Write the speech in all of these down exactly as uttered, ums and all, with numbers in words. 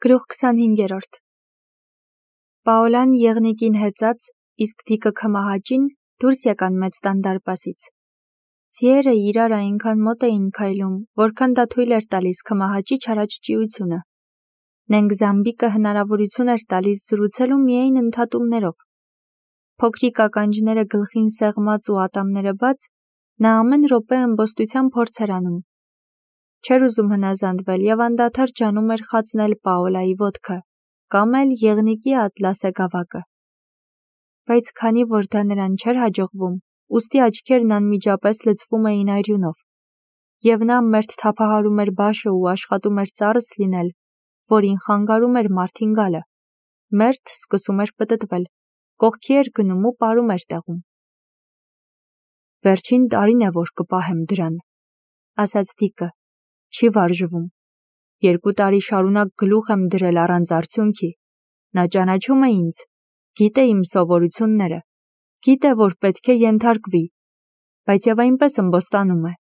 Գլուխ քսանհինգերորդ Պաոլան եղնիկին հեծած, իսկ դիկը քմահաճին դուրս եկան մեծ տան դարպասից։ Ձիերը իրար այնքան մոտ էին քայլում, որքան դա թույլ էր տալիս քմահաճի չարաճճիությունը։ Նենք զամբիկը հնարավորություն էր տալիս զրուցելու միայն ընդհատումներով։ Փոքրիկ ականջները գլխին սեղմած ու ատամները բաց, նա ամեն րոպե ըմբոստության փորձ էր անում։ Չէր ուզում հնազանդվել և անդադար ջանում էր խացնել Պաոլայի ոտքը, կամ էլ եղնիկի ատլասե գավակը։ Բայց քանի որ դա նրան չէր հաջողվում, ուստի աչքերն անմիջապես լցվում էին արյունով, և նա մերթ թափահարում էր բաշը ու աշխատում էր ծառս լինել, որին խանգարում էր մարդին գալը, մերթ սկսում էր պտտվել, կողքի էր գնում ու պարում էր տեղում։ Վերջին տարին է, որ կպահեմ դրան, ասաց դիկը, չի վարժվում։ Երկու տարի շարունակ գլուխ եմ դրել առանց արդյունքի։ Նա ճանաչում է ինձ, գիտե իմ սովորությունները, գիտե, որ պետք է ենթարկվի, բայց և այնպես ըմբոստանում է։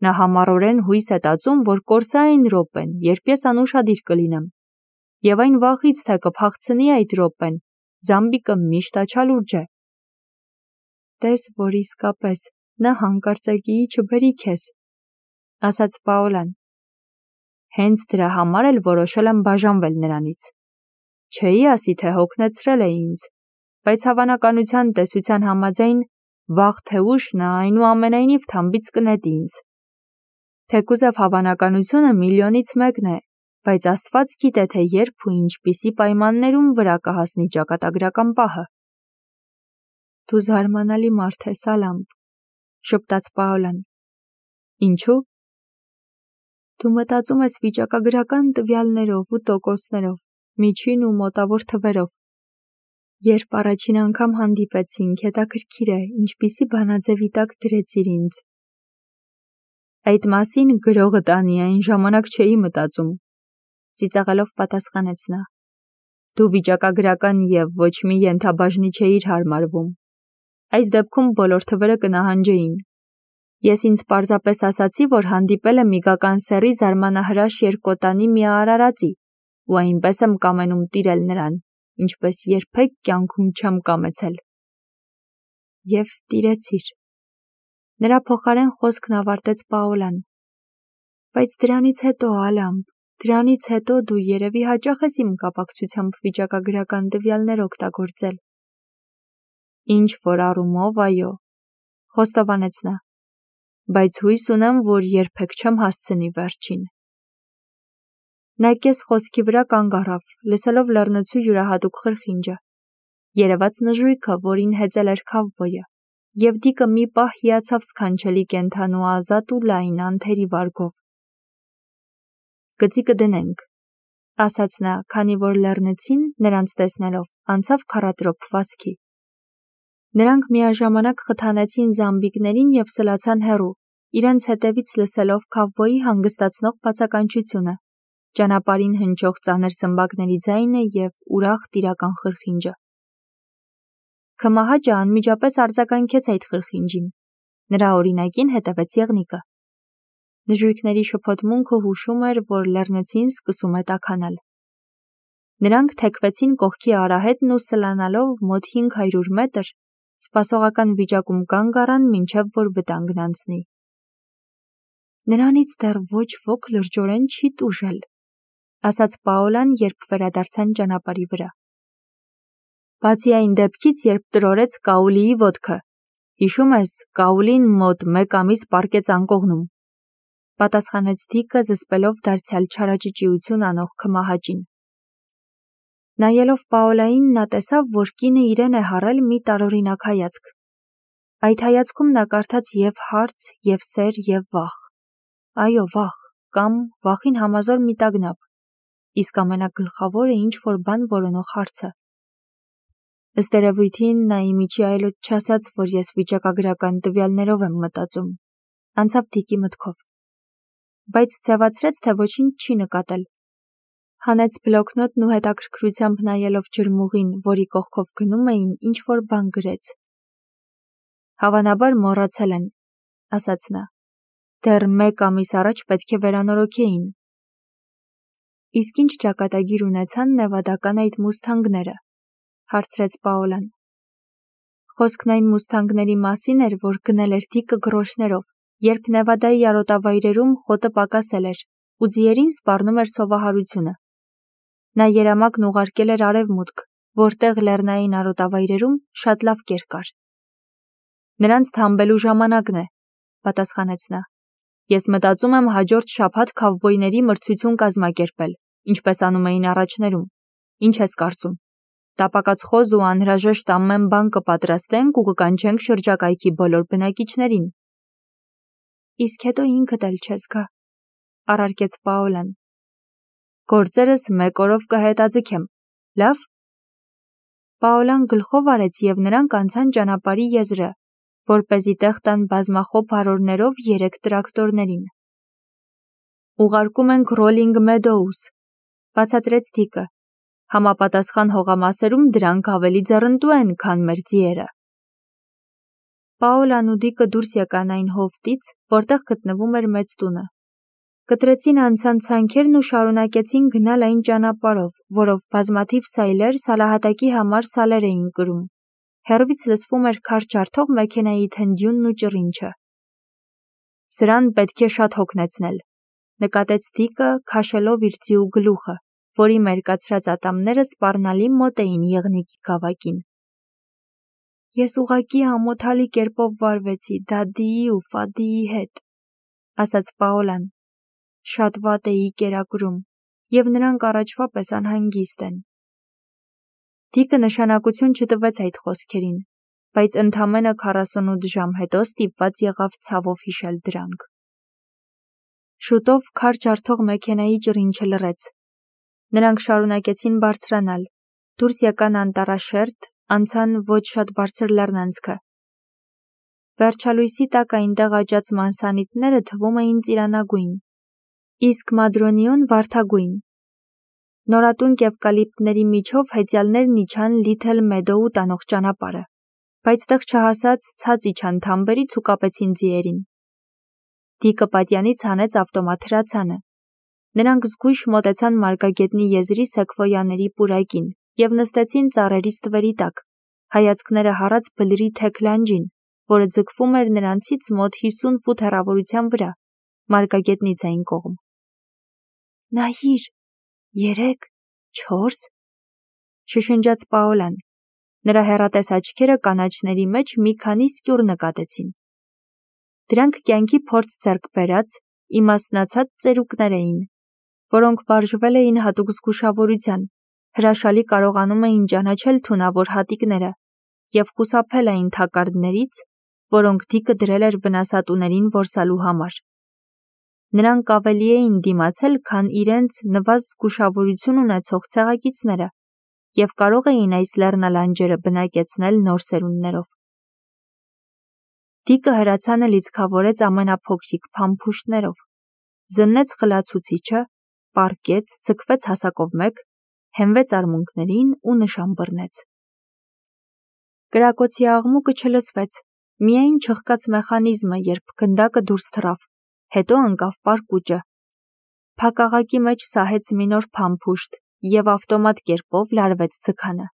Նա համառորեն հույս է տածում, որ կորսա այն րոպեն, երբ ես անուշադիր կլինեմ, և այն վախից, թե կփախցնի այդ րոպեն, զամբիկը միշտ աչալուրջ է։ Տես, որ իսկապես նա հանկարծակիի չբերի քեզ, ասաց Պաոլան։ Հենց դրա համար էլ որոշել եմ բաժանվել նրանից։ Չէի ասի, թե հոգնեցրել է ինձ, բայց հավանականության տեսության համաձայն, վաղ թե ուշ նա այնուամենայնիվ թամբից կնետի ինձ։ Թեկուզև հավանականությունը միլիոնից մեկն է, բայց Աստված գիտե, թե երբ ու ինչպիսի պայմաններում վրա կհասնի ճակատագրական պահը։ Դու զարմանալի մարդ ես, Ալամբ, շպտաց Պաոլան։ Ինչու՞։ Դու մտածում ես վիճակագրական տվյալներով ու տոկոսներով, միջին ու մոտավոր թվերով։ Երբ առաջին անգամ հանդիպեցինք, հետաքրքիր է, ինչպիսի բանաձևի տակ դրեցիր ինձ։ Այդ մասին գրողը տանի այն ժամանակ չէի մտածում, ծիծաղելով պատասխանեց նա։ Դու վիճակագրական և ոչ մի ենթաբաժնի չէիր հարմարվում։ Այս դեպքում բոլոր թվերը կնահանջեին։ Ես ինձ պարզապես ասացի, որ հանդիպել եմ իգական սեռի զարմանահրաշ երկկոտանի մի արարածի, ու այնպես եմ կամենում տիրել նրան, ինչպես երբեք կյանքում չեմ կամեցել։ Եվ տիրեցիր։ Նրա փոխարեն խոսքն ավարտեց Պաոլան։ Բայց դրանից հետո, Ալամբ, դրանից հետո դու երևի հաճախ ես իմ կապակցությամբ վիճակագրական տվյալներ օգտագործել։ Ինչ որ առումով, այո, խոստովանեց նա, բայց հույս ունեմ, որ երբեք չեմ հասցնի վերջին։ Նա կես խոսքի վրա կանգ առավ, լսելով լեռնոցու յուրահատուկ խրխինջը, երևաց նժույգը, որին հեծել էր քավբոյը, և դիկը մի պահ հիացավ սքանչելի կենդանու ազատ ու լայն անթերի վարգով։ Գծի կդնենք, ասաց նա, քանի որ լեռնցին, նրանց տեսնելով, անցավ քառատրոփ վազքի։ Նրանք միաժամանակ խթանեցին զամբիկներին և սլացան հեռու, իրենց հետևից լսելով քավբոյի հանգստացնող բացականչությունը, ճանապարհին հնչող ծանր սմբակների ձայնը և ուրախ տիրական խրխինջը։ Քմահաճը անմիջապես արձագանքեց այդ խրխինջին։ Նրա օրինակին հետևեց եղնիկը։ Նժույգների շփոթմունքը հուշում էր, որ լեռնցին սկսում է տաքանալ։ Նրանք թեքվեցին կողքի արահետն ու սլանալով մոտ հինգ հարյուր մետր, սպասողական վիճակում կանգ առան, մինչև որ վտանգն անցնի։ Նրանից դեռ ոչ ոք լրջորեն չի տուժել, ասաց Պաոլան, երբ վերադարձան ճանապարհի վրա։ Բացի այն դեպքից, երբ տրորեց Կաուլիի ոտքը, հիշում ես, Կաուլին մոտ մեկ ամիս պառկեց անկողնում, պատասխանեց դիկը, զսպելով դարձյալ չարաճճիություն անող քմահաճին։ Նայելով Պաոլային, նա տեսավ, որ կինը իրեն է հարել մի տարօրինակ հայացք։ Այդ հայացքում նա կարդաց և հարց, և սեր, և վախ։ Այո, վախ, կամ վախին համազոր մի տագնապ, իսկ ամենագլխավորը ինչ-որ բան որոնող հարցը։ Ըստ երևույթին, նա ի միջի այլոց չասաց, որ ես վիճակագրական տվյալներով եմ մտածում, անցավ դիկի մտքով։ Բայց ձևացրեց, թե ոչինչ չի նկատել։ Հանեց բլոկնոտն ու հետաքրքրությամբ նայելով ջրմուղին, որի կողքով գնում էին, ինչ-որ բան գրեց։ Հավանաբար մոռացել են, ասաց նա։ Դեռ մեկ ամիս առաջ պետք է վերանորոգեին։ Իսկ ինչ ճակատագիր ունեցան նևադական այդ մուսթանգները, հարցրեց Պաոլան։ Խոսքն այն մուսթանգների մասին էր, որ գնել էր Դիկը գրոշներով, երբ Նևադայի արոտավայրերում խոտը պակասել էր, ու ձիերին սպառնում էր սովահարությունը։ Նա երամակն ուղարկել էր արևմուտք, որտեղ լեռնային արոտավայրերում շատ լավ կեր կար։ Նրանց թամբելու ժամանակն է, պատասխանեց նա։ Ես մտածում եմ հաջորդ շաբաթ քավբոյների մրցություն կազմակերպել, ինչպես անում էին առաջներում։ Ինչ ես կարծում։ Տապակած խոզ ու անհրաժեշտ ամեն բան կպատրաստենք ու կկանչենք շրջակայքի բոլոր բնակիչներին։ Իսկ հետո ինքդ էլ չես գա, առարկեց Պաոլան։ Գործերս մեկ օրով կհետաձգեմ, լավ։ Պաոլան գլխով արեց և նրանք անցան ճանապարհի եզրը, որպեսզի տեղ տան բազմախոփ հարորներով երեք տրակտորներին։ Ուղարկում ենք Rolling Meadows, բացատրեց Դիկը։ Համապատասխան հողամասերում դրանք ավելի ձեռնտու են, քան մեր ձիերը։ Պաոլան ու Դիկը դուրս եկան այն հովտից, որտեղ գտնվում էր մեծ տունը։ Կտրեցին անցան ցանքերն ու շարունակեցին գնալ այն ճանապարհով, որով բազմաթիվ սայլեր սալահատակի համար սալեր էին կրում։ Հեռվից լսվում էր քար ջարդող մեքենայի թնդյունն ու ճռինչը։ Սրան պետք է շատ հոգնեցնել, նկատեց Դիկը, քաշելով իր ձիու գլուխը, որի մերկացրած ատամները սպառնալի մոտ էին եղնիկի գավակին։ Ես ուղղակի ամոթալի կերպով վարվեցի Դադիի ու Ֆադիի հետ, ասաց Պաոլան։ Շատ վատ էի կերակրում, և նրանք առաջվա պես անհանգիստ են։ Դիկը նշանակություն չտվեց այդ խոսքերին, բայց ընդամենը քառասունութ ժամ հետո ստիպված եղավ ցավով հիշել դրանք։ Շուտով քար ջարդող մեքենայի ճռինչը լռեց։ Նրանք շարունակեցին բարձրանալ, դուրս եկան անտառաշերտ, անցան ոչ շատ բարձր լեռնանցքը։ Վերջալույսի տակ այնտեղ աճած մանսանիթները թվում էին ծիրանագույն, իսկ մադրոնիոն վարդագույն։ Նորատուն կևկալիպտների միջով հեծյալներն իջան Լիթլ Մեդոու տանող ճանապարհը, բայց տեղ չհասած ցած իջան թամբերից ու կապեցին ձիերին։ Դիկը պատյանից հանեց ավտոմատ հրացանը։ Նրանք զգույշ մոտեցան մարգագետնի եզրի սեկվոյաների պուրակին և նստեցին ծառերի ստվերի տակ, հայացքները հառած բլրի թեք լանջին, որը ձգվում էր նրանցից մոտ հիսուն ֆուտ հեռավորության վրա, մարգագետնից այն կողմ։ Նայիր, երեք, չորս, շշնջաց Պաոլան։ Նրա հեռատես աչքերը կանաչների մեջ մի քանի սկյուռ նկատեցին։ Դրանք կյանքի փորձ ձեռք բերած, իմաստնացած ծերուկներ էին, որոնք վարժվել էին հատուկ զգուշավորության, հրաշալի կարողանում էին ճանաչել թունավոր հատիկները և խուսափել այն թակարդներից, որոնք Դիկը դրել էր վնասատուներին որսալու համար։ Նրանք ավելի էին դիմացել, քան իրենց նվազ զգուշավորություն ունեցող ցեղակիցները և կարող էին այս լեռնալանջերը բնակեցնել նոր սերունդներով։ Դիկը հրացանը լիցքավորեց ամենափոքրիկ փամփուշտներով, զննեց խլացուցիչը, պառկեց, ձգվեց հասակով մեկ, հենվեց արմունկներին ու նշան բռնեց։ Կրակոցի աղմուկը չլսվեց, միայն չխկաց մեխանիզմը, երբ գնդակը դուրս թռավ, հետո ընկավ պարկուճը։ Փակաղակի մեջ սահեց մի նոր փամփուշտ և ավտոմատ կերպով լարվեց ձգանը։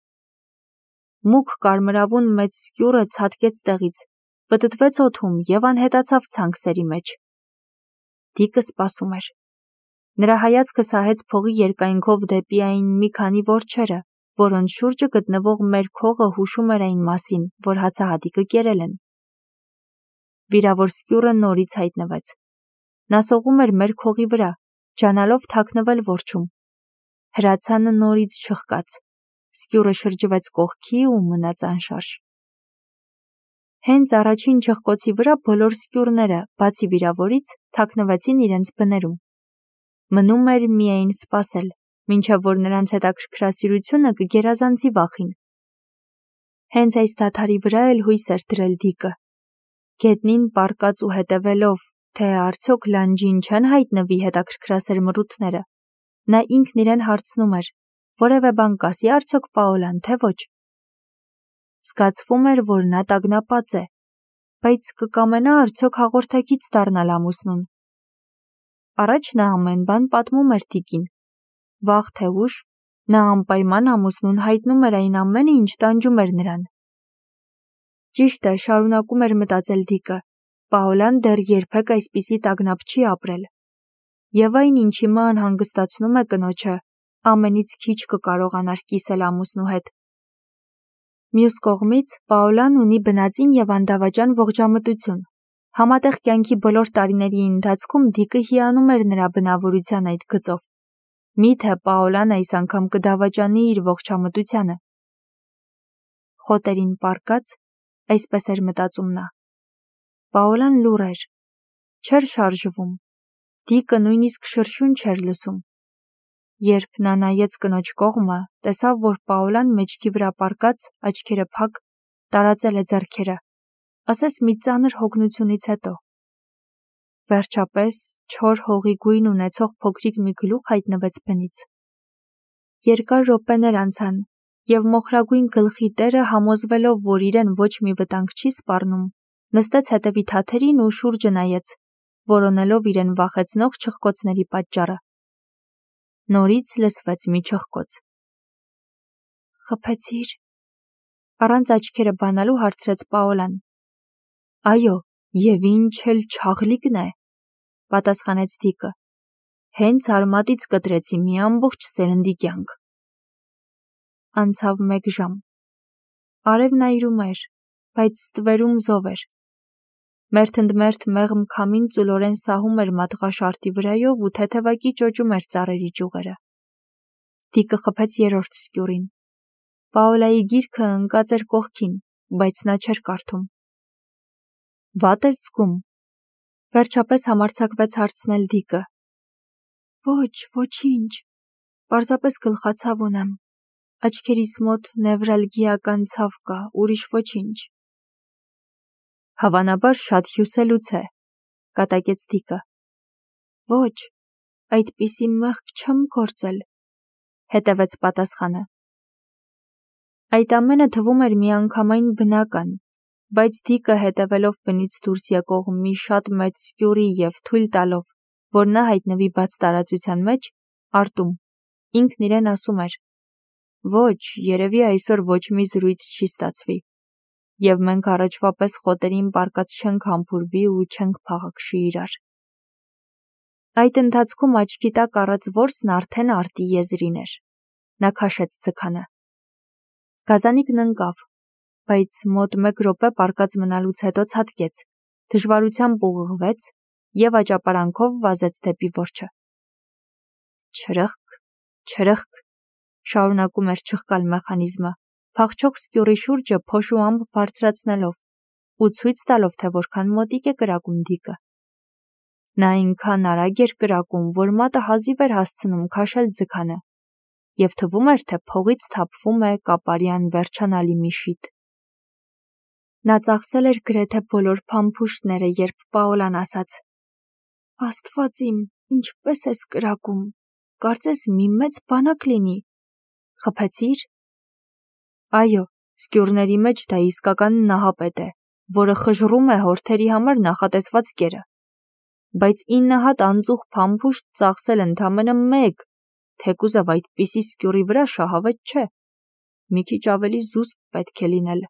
Մուգ կարմրավուն մեծ սկյուռը ցատկեց տեղից, պտտվեց օդում և անհետացավ ցանքսերի մեջ։ Դիկը սպասում էր։ Նրա հայացքը սահեց փողի երկայնքով դեպի այն մի քանի որջերը, որոնց շուրջը գտնվող մերկ հողը հուշում էր այն մասին, որ հացահատիկը կերել են։ Վիրավոր սկյուռը նորից հայտնվեց։ Նա սողում էր մերկ հողի վրա, ջանալով թաքնվել որջում։ Հրացանը նորից չխկաց, սկյուռը շրջվեց կողքի ու մնաց անշարժ։ Հենց առաջին չխկոցի վրա բոլոր սկյուռները, բացի վիրավորից, թաքնվեցին իրենց բներում։ Մնում էր միայն սպասել, մինչև որ նրանց հետաքրքրասիրությունը կգերազանցի վախին։ Հենց այս դադարի վրա էլ հույս էր դրել Դիկը։ Գետնին պառկած ու հետևելով, թե արդյոք լանջին չեն հայտնվի հետաքրքրասեր մռութները, նա ինքն իրեն հարցնում էր, որևէ բան կասի արդյոք Պաոլան, թե ոչ։ Զգացվում էր, որ նա տագնապած է, բայց կկամենա արդյոք հաղորդակից դառնալ ամուսնուն։ Առաջ նա ամեն բան պատմում էր Դիկին, Վաղ թե ուշ նա անպայման ամուսնուն հայտնում էր այն ամենը, ինչ տանջում էր նրան։ Ճիշտ է, շարունակում էր մտածել Դիկը, Պաոլան դեռ երբեք այսպիսի տագնապ չի ապրել։ Եվ այն, ինչ հիմա անհանգստացնում է կնոջը, ամենից քիչ կկարողանար կիսել ամուսնու հետ։ Մյուս կողմից, Պաոլան ունի բնածին եւ անդավաճան ողջամտություն։ Համատեղ կյանքի բոլոր տարիների ընթացքում Դիկը հիանում էր նրա բնավորության այդ գծով։ Միթե Պաոլան այս անգամ կդավաճանի իր ողջամտությանը։ Խոտերին պառկած, այսպես էր մտածում նա։ Պաոլան լուռ էր, չէր շարժվում, Դիկը նույնիսկ շրշյուն չէր լսում։ Երբ նա նայեց կնոջ կողմը, տեսավ, որ Պաոլան մեջքի վրա պառկած, աչքերը փակ, տարածել է ձեռքերը, ասես մի ծանր հոգնությունից հետո։ Վերջապես, չոր հողի գույն ունեցող փոքրիկ մի գլուխ հայտնվեց բնից։ Երկար րոպեներ անցան, եւ մոխրագույն գլխի տերը, համոզվելով, որ իրեն ոչ մի վտանգ չի սպառնում, նստեց հետևի թաթերին ու շուրջը նայեց, որոնելով իրեն վախեցնող չխկոցների պատճառը։ Նորից լսվեց մի չխկոց։ Խփեցի՞ր։ Առանց աչքերը բանալու հարցրեց Պաոլան։ Այո, եւ ինչ էլ չաղլիկն է, պատասխանեց Դիկը։ Հենց արմատից կտրեցի մի ամբողջ սերնդի կյանք։ Անցավ մեկ ժամ։ Արևն այրում էր, բայց ստվերում զով էր։ Մերթընդմերթ մեղմ քամին ծուլորեն սահում էր մատղաշարտի վրայով ու թեթևակի ճոճում էր ծառերի ճյուղերը։ Դիկը խփեց երրորդ սկյուրին։ Պաոլայի գիրքը ընկած էր կողքին, բայց նա չէր կարդում։ Վատ ես զգում։ Վերջապես համարձակվեց հարցնել Դիկը։ Ոչ, ոչինչ։ Պարզապես գլխացավ ունեմ։ Աչքերիս մոտ նևրալգիական ցավ կա, ուրիշ ոչինչ։ Հավանաբար շատ հյուսելուց է, կատակեց Դիկը։ Ոչ, այդպիսի մեղք չեմ գործել, հետևեց պատասխանը։ Այդ ամենը թվում էր միանգամայն բնական, բայց Դիկը հետևելով բնից դուրս եկող մի շատ մեծ սկյուրի եւ թույլ տալով, որ նա հայտնվի բաց տարածության մեջ, արտում, ինքն իրեն ասում էր. Ոչ, երևի այսօր ոչ մի զրույց չի ստացվի, եւ մենք առաջվա պես խոտերին պառկած չենք համբուրվի ու չենք փաղաքշի իրար։ Այդ ընթացքում աչքի տակ առած որսն արդեն արտի եզրին էր։ Նա քաշեց ձգանը։ Գազանիկն ընկավ, բայց մոտ մեկ րոպե պառկած մնալուց հետո ցատկեց, դժվարությամբ ուղղվեց եւ աճապարանքով վազեց դեպի որջը։ Չրըխկ, չրըխկ, շարունակում էր չխկալ մեխանիզմը, փախչող սկյուրի շուրջը փոշու ամպ բարձրացնելով ու ցույց տալով, թե որքան մոտիկ է կրակում Դիկը։ Նա այնքան արագ էր կրակում, որ մատը հազիվ էր հասցնում քաշել ձգանը, եւ թվում էր, թե փողից թափվում է կապարյան վերջանալի մի շիթ։ Նա ծախսել էր գրեթե բոլոր փամփուշտները, երբ Պաոլան ասաց. Աստված իմ, ինչպես ես կրակում, կարծես մի մեծ բանակ լինի։ Խփեցի՞ր։ Այո, սկյուրների մեջ դա իսկական նահապետ է, որը խժռում է հորթերի համար նախատեսված կերը։ Բայց ինը հատ անծուխ փամփուշտ ծախսել ընդամենը մեկ, թեկուզև այդպիսի սկյուրի վրա շահավետ չէ։ Մի քիչ ավելի զուսպ պետք է լինել։